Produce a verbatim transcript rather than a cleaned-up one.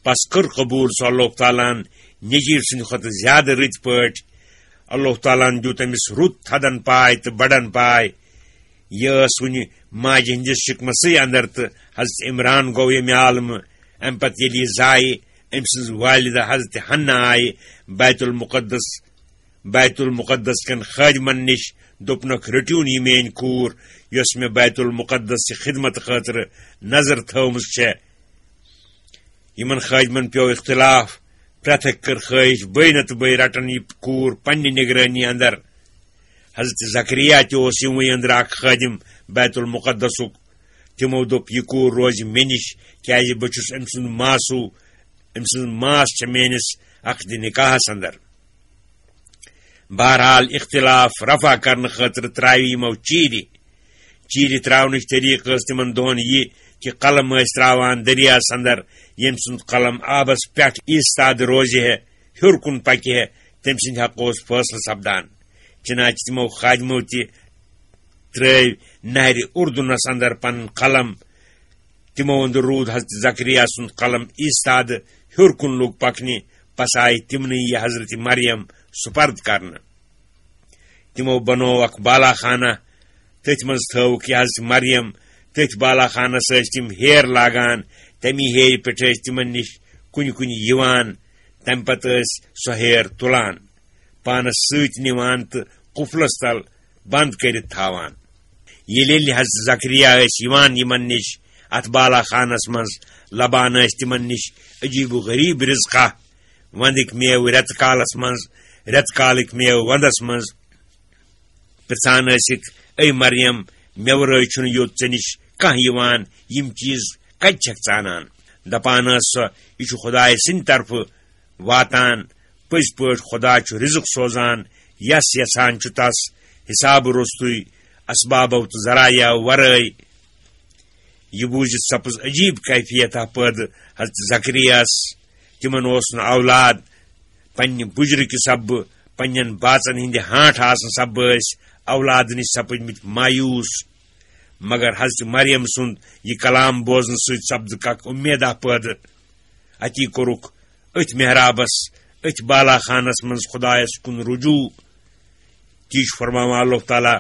پس کٔر قبول سۄ اللہ تعالیٰ ہن نیٚچوۍ سٕنٛدِ کھۄتہٕ زیادٕ رٕتۍ پٲٹھۍ۔ اللہ تعالیٰ ہن دیُت أمِس رُت تھدن پاے تہٕ بڑن پاے۔ یہِ ٲس وُنہِ ماجہِ ہٕنٛدِس شِکمَسٕے اندر تہٕ حضرت عمران گوٚو ییٚمہِ عالمہٕ۔ اَمہِ پتہٕ ییٚلہِ یہِ زایہِ، أمۍ سٕنٛز والدہ حضرت حنہ آیہِ بیت المقدس، بیت المقدس کٮ۪ن خٲدمن نِش، دوٚپنکھ، "رٔٹِو یہِ میٲنۍ کوٗر، یۄس مےٚ بیت المقدس چہِ خدمت خٲطرٕ نظر تھٲومٕژ چھےٚ۔" یِمن خٲدمن پیوٚو اختلاف۔ پرٛٮ۪تھ أکۍ کٔر خٲہِش، بٔے نتہٕ بٔے رٹن یہِ کوٗر پننہِ نگرٲنی اندر۔ حضرت زکریا تہِ اوس یِموٕے أنٛدرٕ اکھ خٲدم بیت المقدسُک۔ تِمو دوٚپ، "یہِ کوٗر روزِ مےٚ نِش، کیازِ بہٕ چھُس أمۍ سُنٛد ماسوٗ، أمۍ سٕنٛز ماس چھےٚ میٲنِس عقدِ نکاحس اندر۔" بہرحال، اختلاف رفع کرنہٕ خٲطرٕ ترٛاوِ یِمو چیٖرِ۔ چیٖرِ ترٛاونٕچ طریٖقہٕ ٲس تِمن دۄہن یہِ کہِ قلم ٲسۍ ترٛاوان دٔریاہس اندر، ییٚمۍ سُنٛد قلم آبس پٮ۪ٹھ ایستادٕ روزِ ہے، ہیوٚر کُن پکہِ ہے، تٔمۍ سٕنٛدِ حقہٕ اوس فٲصلہٕ سپدان۔ چنانچہ تِمو خادمو تہِ ترٛٲوۍ نہرِ اردنس اندر پنُن قلم۔ تِمو اندر روٗد حضرت زکریا سُنٛد قلم ایستادٕ، ہیوٚر کُن لوٚگ پکنہِ، پس آیہِ تِمنٕے یہِ حضرت مریم سپرد کرنہٕ۔ تِمو بنوو اکھ بالا خانہ، تٔتھۍ منٛز تھٲوٕکھ یہِ حضرت مریم۔ تٔتھۍ بالا خانس ٲسۍ تِم ہیر لاگان، تمی ہیرِ پٮ۪ٹھ ٲسۍ تِمن نِش کُنہِ کُنہِ یِوان، تمہِ پتہٕ ٲسۍ سۄ ہیر تُلان، پانس سۭتۍ نِوان تہٕ قُفلس تل بند کٔرِتھ تھاوان۔ ییٚلہِ ییٚلہِ حضرت زکریا ٲسۍ یِوان یِمن نِش، اتھ بالا خانس منٛز لبان ٲسۍ تِمن نِش عجیب و غریب رزقہ، وندٕکۍ میوٕ رٮ۪تہٕ کالس منٛز، رٮ۪تہٕ کالٕکۍ میوٕ ونٛدس منٛز۔ پرژھان ٲسِکھ، "اے مریم، مےٚ ورٲے چھُنہٕ یوٚت ژےٚ نِش کانٛہہ یِوان، یِم چیٖز کتہِ چھکھ ژٕ انان؟" دپان ٲس سۄ، "یہِ چھُ خدایہِ سٕنٛدِ طرفہٕ واتان۔ پٔزۍ پٲٹھۍ خدا چھُ رزق سوزان، یس یژھان چھُ تس، حسابہٕ روٚستُے، اسبابو تہٕ ذرایعو ورٲے۔" یہِ بوٗزِتھ سپٕز عجیب کیفیتہ پٲدٕ حضرت زکریاہس۔ تِمن اوس نہٕ اولاد۔ پننہِ بُجرٕ کہِ سببہٕ، پننٮ۪ن باژن ہٕنٛدِ ہانٛٹھ آسنہٕ سببہٕ ٲسۍ اولادٕ نِش سپٕدمٕتۍ مایوس۔ مگر حضرت مریم سُنٛد یہِ کلام بوزنہٕ سۭتۍ سپدٕکھ اکھ اُمیدہ پٲدٕ۔ اتی کوٚرُکھ أتھۍ محرابس، أتھۍ بالا خانس منٛز خدایس کُن رجوع۔ تی چھُ فرماوان اللہ تعالیٰ،